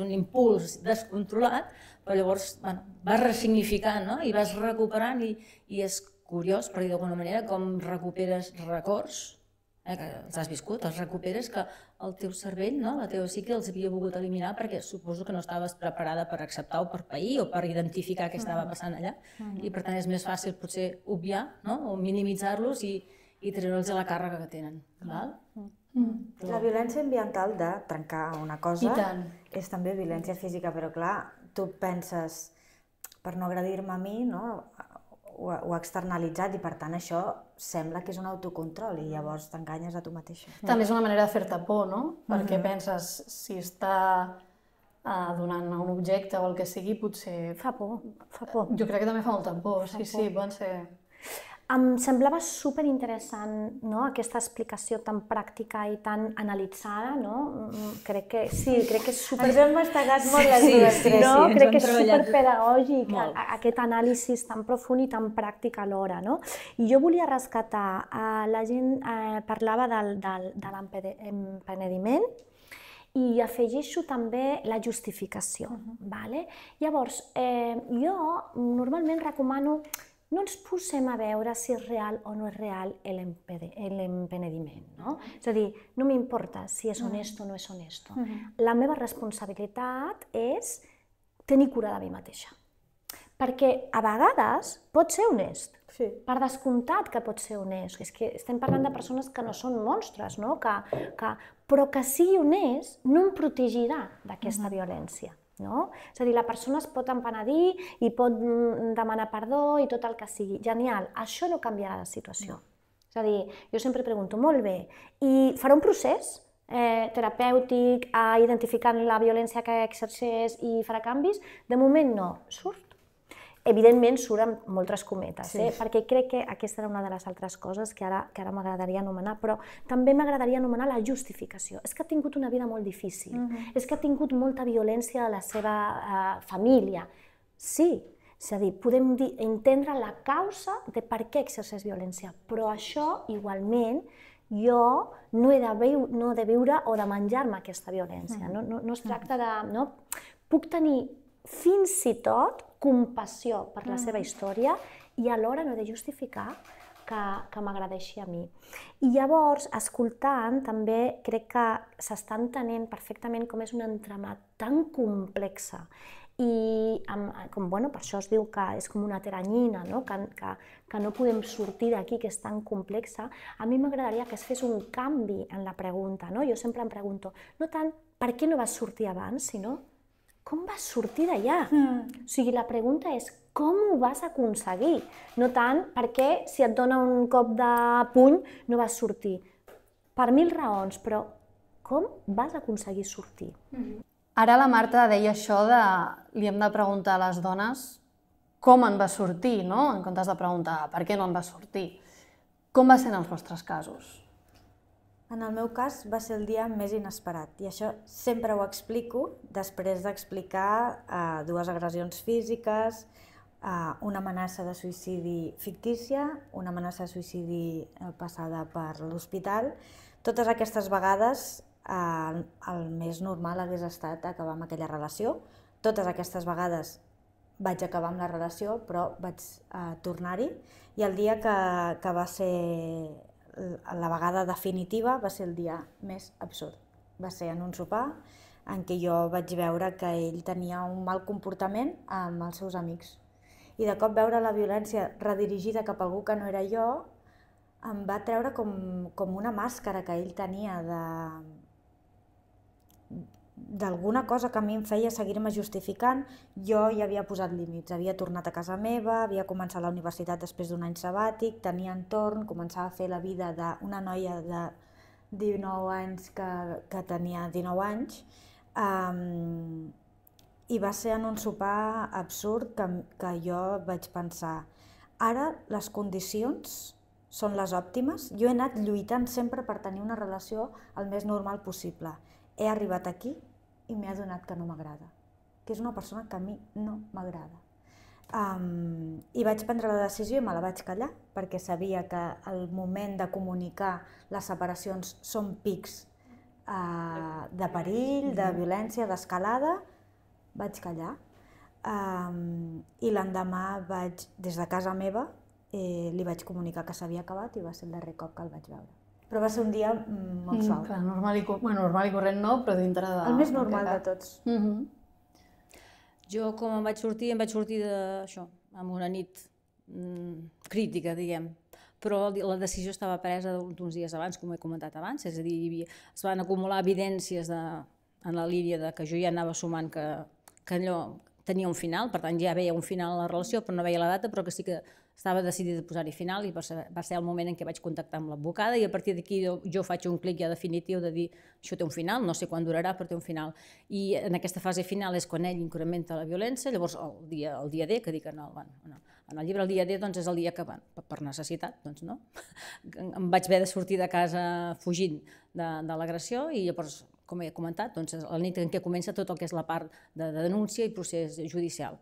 Speaker 3: un impuls descontrolat, però llavors vas ressignificant i vas recuperant i és curiós, per dir d'alguna manera, com recuperes records, que els has viscut, els recuperes que el teu cervell, la teva psique els havia volgut eliminar perquè suposo que no estaves preparada per acceptar o per pair o per identificar què estava passant allà i per tant és més fàcil potser obviar o minimitzar-los i treure'ls a la càrrega que tenen.
Speaker 4: La violència ambiental de trencar una cosa és també violència física, però clar, tu penses, per no agredir-me a mi, ho ha externalitzat i per tant això sembla que és un autocontrol i llavors t'enganyes a tu mateixa.
Speaker 1: També és una manera de fer-te por, no? Perquè penses, si està donant un objecte o el que sigui, potser...
Speaker 2: Fa por, fa por.
Speaker 1: Jo crec que també fa molta por, sí, poden ser...
Speaker 2: Em semblava superinteressant, no?, aquesta explicació tan pràctica i tan analitzada, no? Crec que sí, crec que és super...
Speaker 4: Ens hem mastegat molt les dues tres.
Speaker 2: No? Crec que és superpedagògic, aquest anàlisi tan profund i tan pràctic alhora, no? I jo volia rescatar, la gent parlava de l'empenediment, i afegeixo també la justificació. Llavors, jo normalment recomano no ens posem a veure si és real o no és real l'empenediment. És a dir, no m'importa si és honest o no és honest. La meva responsabilitat és tenir cura de mi mateixa. Perquè a vegades pot ser honest. Per descomptat que pot ser honest. És que estem parlant de persones que no són monstres, però que sigui honest no em protegirà d'aquesta violència. És a dir, la persona es pot empenedir i pot demanar perdó i tot el que sigui. Genial, això no canviarà la situació. És a dir, jo sempre pregunto, molt bé, i farà un procés terapèutic identificant la violència que exerceix i farà canvis? De moment no, surt. Evidentment surt amb moltes cometes, perquè crec que aquesta era una de les altres coses que ara m'agradaria anomenar, però també m'agradaria anomenar la justificació. És que ha tingut una vida molt difícil, és que ha tingut molta violència a la seva família. Sí, és a dir, podem entendre la causa de per què exerceix violència, però això igualment jo no he de viure o de menjar-me aquesta violència. No es tracta de... Puc tenir fins i tot compassió per la seva història i alhora no he de justificar que m'agradeixi a mi. I llavors, escoltant, també crec que s'està entenent perfectament com és un entramat tan complexa i per això es diu que és com una teranyina, que no podem sortir d'aquí, que és tan complexa. A mi m'agradaria que es fes un canvi en la pregunta. Jo sempre em pregunto, no tant per què no vas sortir abans, sinó com vas sortir d'allà? O sigui, la pregunta és com ho vas aconseguir? No tant perquè si et dona un cop de puny no vas sortir. Per 1000 raons, però com vas aconseguir sortir?
Speaker 1: Ara la Marta deia això de li hem de preguntar a les dones com en va sortir, en comptes de preguntar per què no en va sortir. Com va ser en els vostres casos?
Speaker 4: En el meu cas va ser el dia més inesperat i això sempre ho explico després d'explicar 2 agressions físiques, una amenaça de suïcidi fictícia, una amenaça de suïcidi passada per l'hospital. Totes aquestes vegades el més normal hagués estat acabar amb aquella relació. Totes aquestes vegades vaig acabar amb la relació, però vaig tornar-hi i el dia que va ser la vegada definitiva va ser el dia més absurd. Va ser en un sopar en què jo vaig veure que ell tenia un mal comportament amb els seus amics. I de cop veure la violència redirigida cap a algú que no era jo em va treure com una màscara que ell tenia d'alguna cosa que a mi em feia seguir-me justificant. Jo ja havia posat límits, havia tornat a casa meva, havia començat la universitat després d'un any sabàtic, tenia entorn, començava a fer la vida d'una noia de 19 anys que tenia 19 anys, i va ser en un sopar absurd que jo vaig pensar ara les condicions són les òptimes, jo he anat lluitant sempre per tenir una relació el més normal possible. He arribat aquí i m'he adonat que no m'agrada, que és una persona que a mi no m'agrada. I vaig prendre la decisió i me la vaig callar, perquè sabia que el moment de comunicar les separacions són pics de perill, de violència, d'escalada. Vaig callar i l'endemà des de casa meva, li vaig comunicar que s'havia acabat i va ser el darrer cop que el vaig veure. Però va ser un dia molt suau.
Speaker 1: Normal i corrent no, però dintre de...
Speaker 4: El més normal de tots.
Speaker 3: Jo, com em vaig sortir d'això, amb una nit crítica, diguem. Però la decisió estava presa uns dies abans, com he comentat abans, és a dir, es van acumular evidències en la línia que jo ja anava sumant que allò tenia un final, per tant ja veia un final a la relació, però no veia la data, però que sí que estava decidida a posar-hi final i va ser el moment en què vaig contactar amb l'advocada i a partir d'aquí jo faig un clic ja definitiu de dir això té un final, no sé quan durarà però té un final. I en aquesta fase final és quan ell incrementa la violència, llavors el dia D, que dic En el llibre el dia D doncs, és el dia que, per necessitat, doncs, no? Em vaig haver de sortir de casa fugint de l'agressió i llavors, com he comentat, doncs, és la nit en què comença tot el que és la part de denúncia i procés judicial.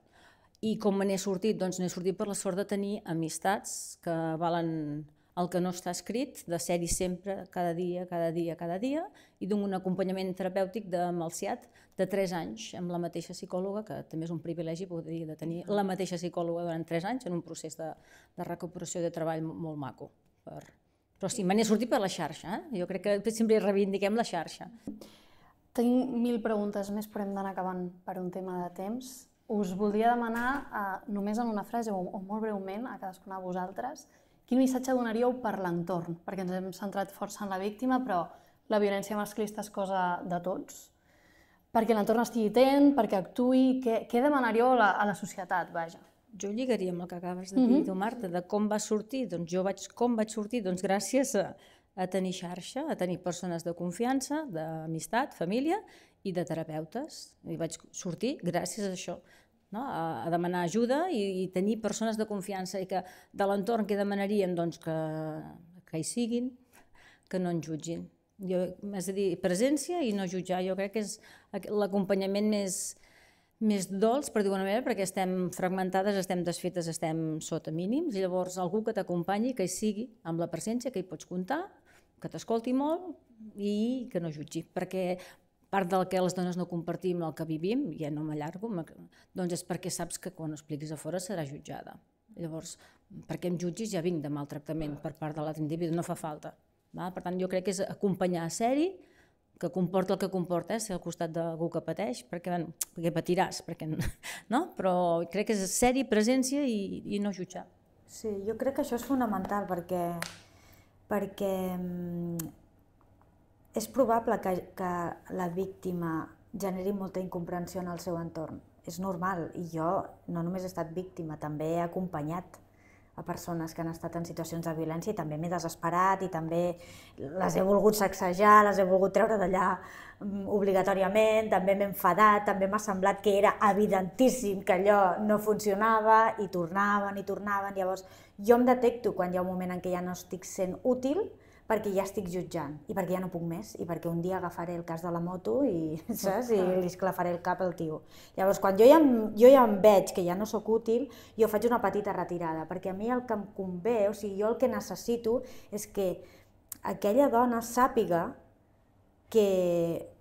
Speaker 3: I com me n'he sortit? Doncs n'he sortit per la sort de tenir amistats que valen el que no està escrit, de ser-hi sempre, cada dia, i d'un acompanyament terapèutic de Malciat de 3 anys amb la mateixa psicòloga, que també és un privilegi poder de tenir la mateixa psicòloga durant 3 anys en un procés de recuperació de treball molt maco. Però sí, me n'he sortit per la xarxa, jo crec que sempre reivindiquem la xarxa.
Speaker 1: Tinc 1000 preguntes més, però hem d'anar acabant per un tema de temps. Us voldria demanar, només en una frase o molt breument, a cadascuna de vosaltres, quin missatge donaríeu per l'entorn? Perquè ens hem centrat força en la víctima, però la violència masclista és cosa de tots. Perquè l'entorn estigui atent, perquè actuï, què demanaríeu a la societat, vaja?
Speaker 3: Jo lligaria amb el que acabes de dir, tu, Marta, de com va sortir. Doncs com vaig sortir? Doncs gràcies a tenir xarxa, a tenir persones de confiança, d'amistat, família i de terapeutes. I vaig sortir gràcies a això, a demanar ajuda i tenir persones de confiança i que de l'entorn que demanaríem que hi siguin, que no ens jutgin. És a dir, presència i no jutjar. Jo crec que és l'acompanyament més dolç, per dir-ho d'una manera, perquè estem fragmentades, estem desfetes, estem sota mínims, i llavors algú que t'acompanyi, que hi sigui, amb la presència, que hi pots comptar, que t'escolti molt i que no jutgi. Perquè part del que les dones no compartim, el que vivim, ja no m'allargo, doncs és perquè saps que quan ho expliquis a fora serà jutjada. Llavors, perquè em jutgis ja vinc de maltractament per part de l'altre individu, no fa falta. Per tant, jo crec que és acompanyar a ser-hi, que comporta el que comporta, ser al costat d'algú que pateix, perquè patiràs, però crec que és ser-hi, presència i no jutjar.
Speaker 4: Sí, jo crec que això és fonamental perquè és probable que la víctima generi molta incomprensió en el seu entorn. És normal, i jo no només he estat víctima, també he acompanyat a persones que han estat en situacions de violència i també m'he desesperat i també les he volgut sacsejar, les he volgut treure d'allà obligatòriament, també m'he enfadat, també m'ha semblat que era evidentíssim que allò no funcionava i tornaven. Llavors jo em detecto quan hi ha un moment en què ja no estic sent útil perquè ja estic jutjant i perquè ja no puc més i perquè un dia agafaré el cas de la moto i li esclafaré el cap al tio. Llavors, quan jo ja em veig que ja no sóc útil, jo faig una petita retirada, perquè a mi el que em convé, o sigui, jo el que necessito és que aquella dona sàpiga que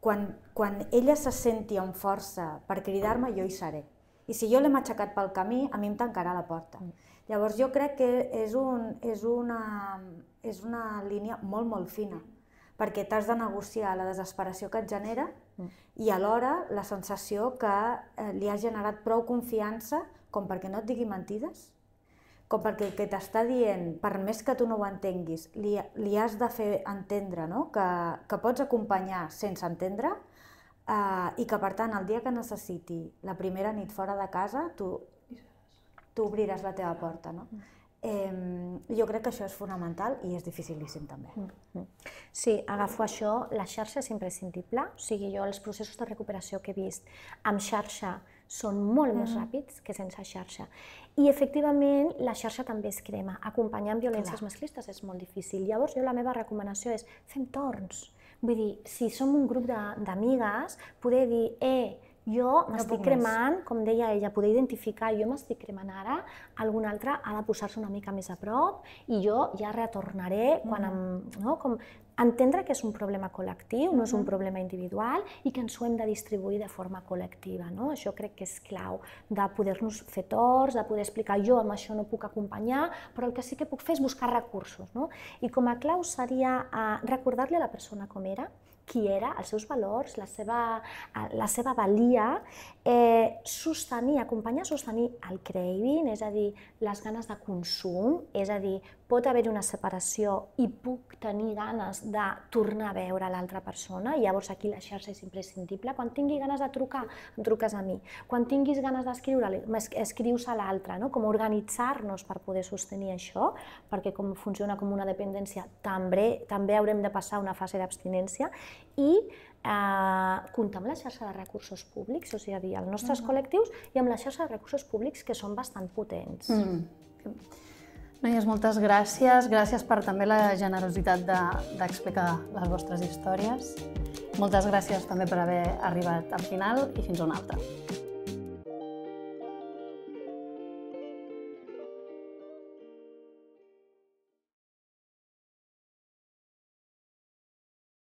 Speaker 4: quan ella se senti amb força per cridar-me, jo hi seré. I si jo l'he matxacat pel camí, a mi em tancarà la porta. Llavors jo crec que és una línia molt, molt fina, perquè t'has de negociar la desesperació que et genera i alhora la sensació que li has generat prou confiança com perquè no et digui mentides, com perquè el que t'està dient, per més que tu no ho entenguis, li has de fer entendre que pots acompanyar sense entendre i que, per tant, el dia que necessiti la primera nit fora de casa, tu obriràs la teva porta. Jo crec que això és fonamental i és dificilíssim també.
Speaker 2: Sí, agafo això, la xarxa és imprescindible, o sigui, jo els processos de recuperació que he vist amb xarxa són molt més ràpids que sense xarxa. I efectivament la xarxa també es crema, acompanyar en violències masclistes és molt difícil. Llavors jo la meva recomanació és fem torns, vull dir, si som un grup d'amigues, poder dir jo m'estic cremant, com deia ella, poder identificar, jo m'estic cremant ara, algun altre ha de posar-se una mica més a prop i jo ja retornaré quan entendre que és un problema col·lectiu, no és un problema individual i que ens ho hem de distribuir de forma col·lectiva. Això crec que és clau, de poder-nos fer torns, de poder explicar jo amb això no puc acompanyar, però el que sí que puc fer és buscar recursos. I com a clau seria recordar-li a la persona com era, qui era, els seus valors, la seva valia, acompanyar a sostenir el craving, és a dir, les ganes de consum, és a dir, pot haver-hi una separació i puc tenir ganes de tornar a veure l'altra persona, i llavors aquí la xarxa és imprescindible. Quan tingui ganes de trucar, em truques a mi. Quan tinguis ganes d'escriure, escrius a l'altre, no? Com organitzar-nos per poder sostenir això, perquè com funciona com una dependència, també haurem de passar una fase d'abstinència, i comptar amb la xarxa de recursos públics, o sigui, els nostres col·lectius, i amb la xarxa de recursos públics, que són bastant potents.
Speaker 1: Noies, moltes gràcies. Gràcies per també la generositat d'explicar les vostres històries. Moltes gràcies també per haver arribat al final i fins una altra.